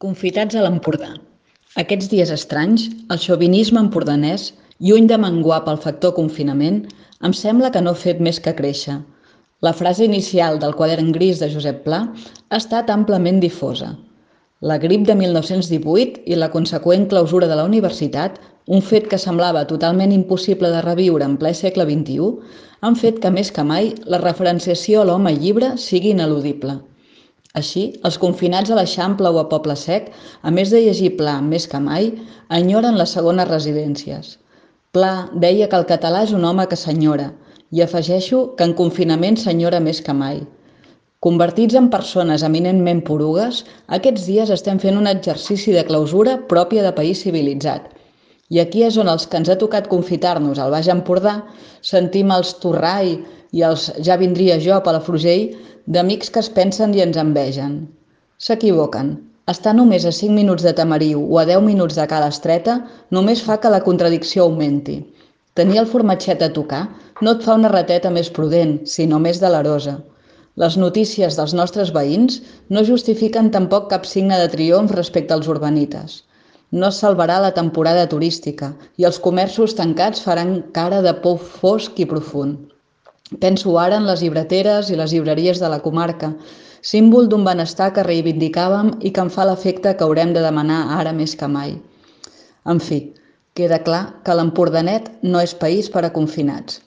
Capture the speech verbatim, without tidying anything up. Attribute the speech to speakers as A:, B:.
A: Confitats a l'Empordà. Aquests dies estranys, el xovinisme empordanès, lluny de menguar pel factor confinament, em sembla que no ha fet més que créixer. La frase inicial del Quadern gris de Josep Pla ha estat amplament difosa. La grip de mil nou-cents divuit i la conseqüent clausura de la universitat, un fet que semblava totalment impossible de reviure en ple segle vint-i-u, han fet que més que mai la referenciació a l'home llibre sigui ineludible. Així, els confinats a l'Eixample o a Poble Sec, a més de llegir Pla més que mai, enyoren les segones residències. Pla deia que el català és un home que s'enyora, i afegeixo que en confinament s'enyora més que mai. Convertits en persones eminentment porugues, aquests dies estem fent un exercici de clausura pròpia de país civilitzat. I aquí és on els que ens ha tocat confitar-nos al Baix Empordà sentim els Torrai i els ja vindria jo a Palafrugell d'amics que es pensen i ens envegen. S'equivoquen. Estar només a cinc minuts de Tamariu o a deu minuts de Cala Estreta només fa que la contradicció augmenti. Tenir el formatget a tocar no et fa una rateta més prudent, sinó més delerosa. Les notícies dels nostres veïns no justifiquen tampoc cap signe de triomf respecte als urbanites. No es salvarà la temporada turística i els comerços tancats faran cara de pou fosc i profund. Penso ara en les llibreteres i les llibreries de la comarca, símbol d'un benestar que reivindicàvem i que em fa l'efecte que haurem de demanar ara més que mai. En fi, queda clar que l'Empordanet no és país per a confinats.